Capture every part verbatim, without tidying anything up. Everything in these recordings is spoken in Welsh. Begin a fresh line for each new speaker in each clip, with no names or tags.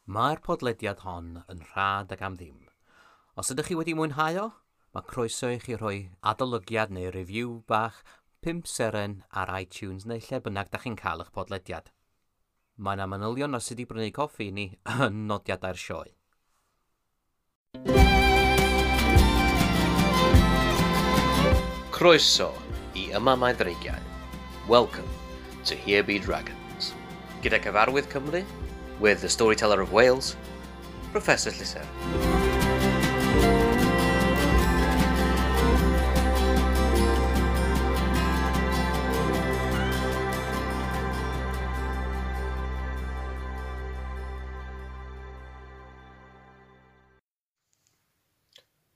Mae'r podlediad hon yn rhad ac am ddim. Os ydych chi wedi mwynhau o, mae croeso i chi rhoi adolygiad neu review bach pump seren ar iTunes neu lle bynnag da chi'n cael eich podlediad. Mae yna manylion ar sut i brynu coffi i ni yn nodiadau'r sioe. Croeso i Yma Mae Dreigiau. Welcome to Here Be Dragons. Gyda Cyfarwydd Cymru, with the Storyteller of Wales, Professor Llyser.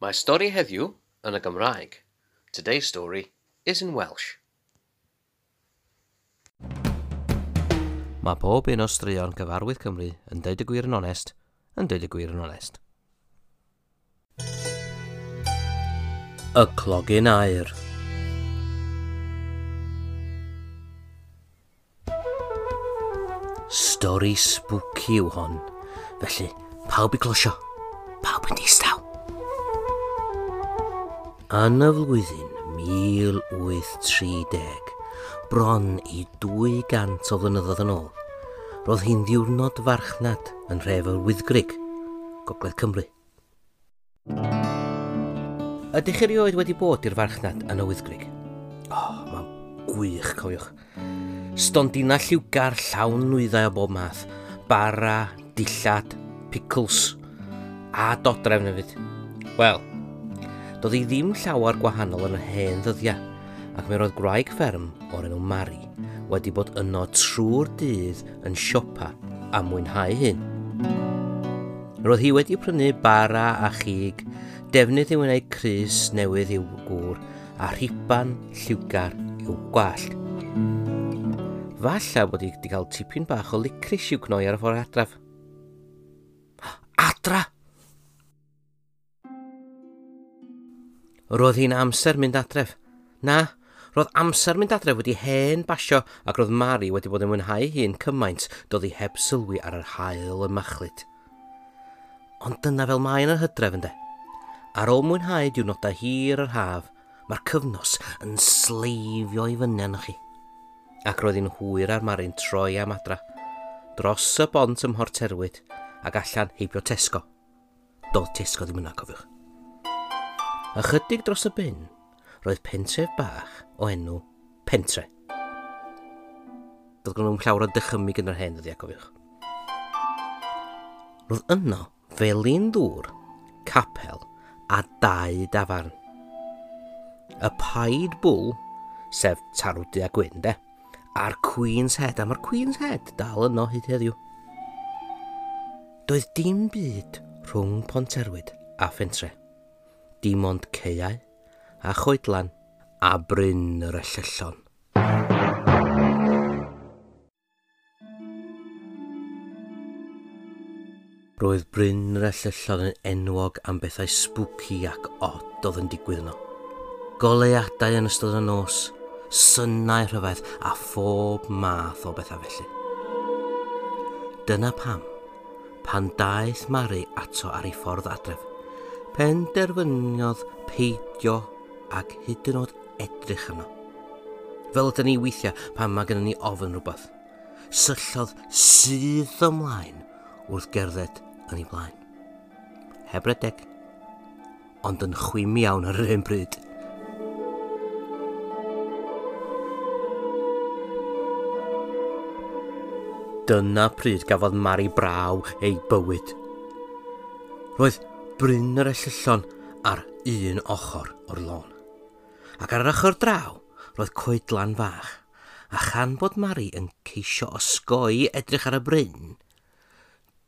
Mae stori heddiw yn y Gymraeg. Today's story is in Welsh. Mae pob un o straeon Cyfarwydd Cymru yn deud y gwir yn onest, yn deud y gwir yn onest. Y Clogyn Aur. Stori spooky yw hon, felly pawb i closio, pawb yn distaw. Yn y flwyddyn mil wyth tri deg, bron i dwy gant o flynyddoedd yn ôl, roedd hi'n ddiwrnod farchnad yn nhref yr Wyddgrug, Gogledd Cymru. Ydych chi erioed wedi bod i'r farchnad yn y Wyddgrug? O, oh, mae'n gwych, cofiwch. Stondina lliwgar llawn nwyddau o bob math, bara, dillad, pickles, a dodrefn hefyd. Wel, doedd hi ddim llawer gwahanol yn yr hen ddyddiau, ac mi roedd gwraig fferm o'r enw Mari wedi bod yno trwy'r dydd yn siopa a mwynhau hyn. Roedd hi wedi prynu bara a chig, defnydd i wneud crys newydd i'w gŵr a rhiban lliwgar i'w gwallt. Falla bod hi wedi cael tipyn bach o licris i'w gnoi ar y ffordd adref. Adra! Roedd hi'n amser mynd adref. Na, roedd amser mynd adref wedi hen basio ac roedd Mari wedi bod yn mwynhau hun cymaint doedd hi heb sylwi ar yr haul yn machlud. Ond dyna fel mae yn yr hydref ynde. Ar ôl mwynhau diwrnodau hir yr haf, mae'r cyfnos yn sleifio i fyny arnoch chi. Ac roedd hi'n hwyr ar Mari'n troi am adra, dros y bont ym Mhorterwyd ac allan heibio Tesco. Doedd Tesco ddim yna, cofiwch. Ychydig dros y bin, roedd pentref bach o enw Pentre. Doedd gen nhw'm llawer o dychymyg yn yr hen ddyddiau, cofiwch. Roedd yno felin ddŵr, capel a dau dafarn. Y Pied Bull, sef tarw du a gwyn, de, a'r Queen's Head, a mae'r Queen's Head dal yno hyd heddiw. Doedd dim byd rhwng Ponterwyd a Phentre. Dim ond caeau a choedlan a Bryn yr Ellyllon. Roedd Bryn yr Ellyllon yn enwog am bethau spooky ac od oedd yn digwydd yno. Goleuadau yn ystod y nos, synau rhyfedd a phob math o bethau felly. Dyna pam, pan daeth Mari ato ar ei ffordd adref, penderfyniodd peidio ac hyd yn oed edrych arno. Fel ydyn ni weithiau pan mae gennym ni ofn rhywbeth. Syllodd syth ymlaen wrth gerdded yn ei blaen. Heb redeg, ond yn chwim iawn ar yr un bryd. Dyna pryd gafodd Mari braw ei bywyd. Roedd Bryn yr Ellyllon ar un ochr o'r lôn. Ac ar yr ochr draw, roedd coedlan fach, a chan bod Mari yn ceisio osgoi edrych ar y bryn,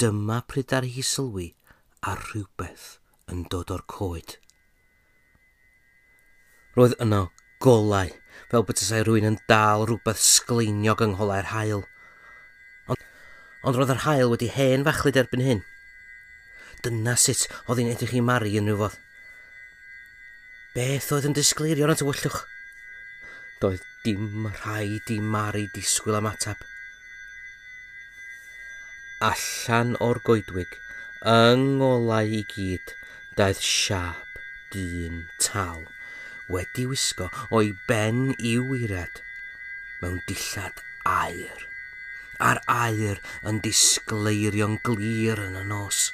dyma pryd ar hi sylwi ar rhywbeth yn dod o'r coed. Roedd yno golau, fel petasai rhywun yn dal rhywbeth sgleiniog yng ngholau'r haul. Ond, ond roedd yr haul wedi hen fachlud erbyn hyn. Dyna sut oedd hi'n edrych i Mari yn rhyw fodd. Beth oedd yn disgleirio yn y tywyllwch? Doedd dim rhaid i Mari disgwyl am ateb. Allan o'r goedwig, yng ngolau i gyd, daeth siâp dyn tal, wedi wisgo o'i ben i'w waered, mewn dillad aur, a'r aur yn disgleirio'n glir yn y nos.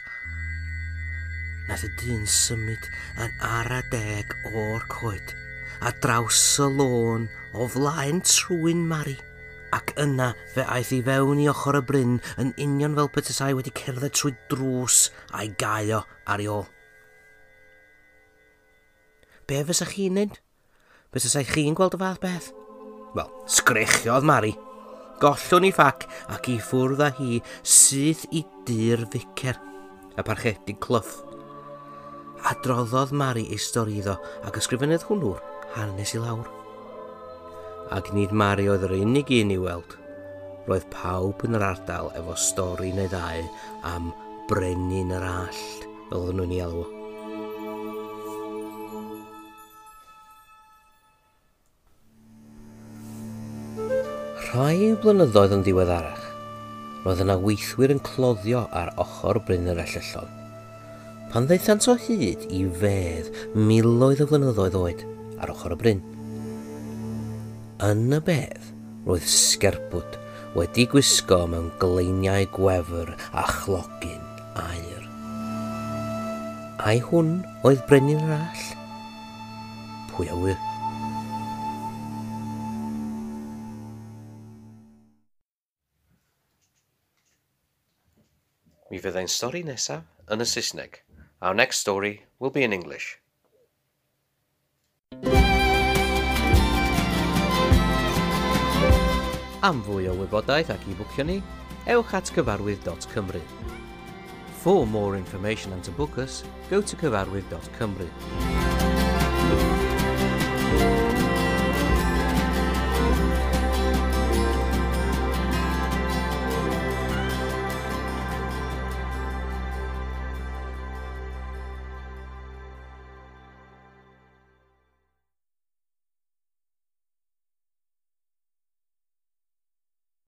Nath y dyn symud yn ara deg o'r coed, a draws y lôn o flaen trwyn Mari, ac yna fe aeth i fewn i ochr y bryn yn union fel petasai wedi cerdded trwy drws a'i gau o ar ei ôl. Be fysa chi'n neud? Bysasai chi'n gweld y fath beth? Wel, sgrechiodd Mari. Gollwn ei phac ac i ffwrdd â hi syth i dŷ'r ficer, y parchedig Clough. Adroddodd Mari ei stori iddo ac ysgrifennodd hwnnw'r hanes i lawr. Ac nid Mari oedd yr unig un i weld. Roedd pawb yn yr ardal efo stori neu ddau am Brenin yr Allt, fel oedden nhw'n ei alw. Rhai blynyddoedd yn ddiweddarach, roedd yna weithwyr yn cloddio ar ochr Bryn yr Ellyllon. Pan ddaethant o hyd i fedd miloedd o flynyddoedd oed ar ochr y bryn. Yn y bedd, roedd sgerbwd wedi gwisgo mewn gleiniau gwefr a chlogyn aur. Ai hwn oedd Brenin yr Allt? Pwy a ŵyr? Mi fydd ein stori nesaf yn y Saesneg. Our next story will be in English. Am fwy o wybodaeth ac i bwcio ni, ewch at cyfarwydd dot cymru. For more information and to book us, go to cyfarwydd dot cymru.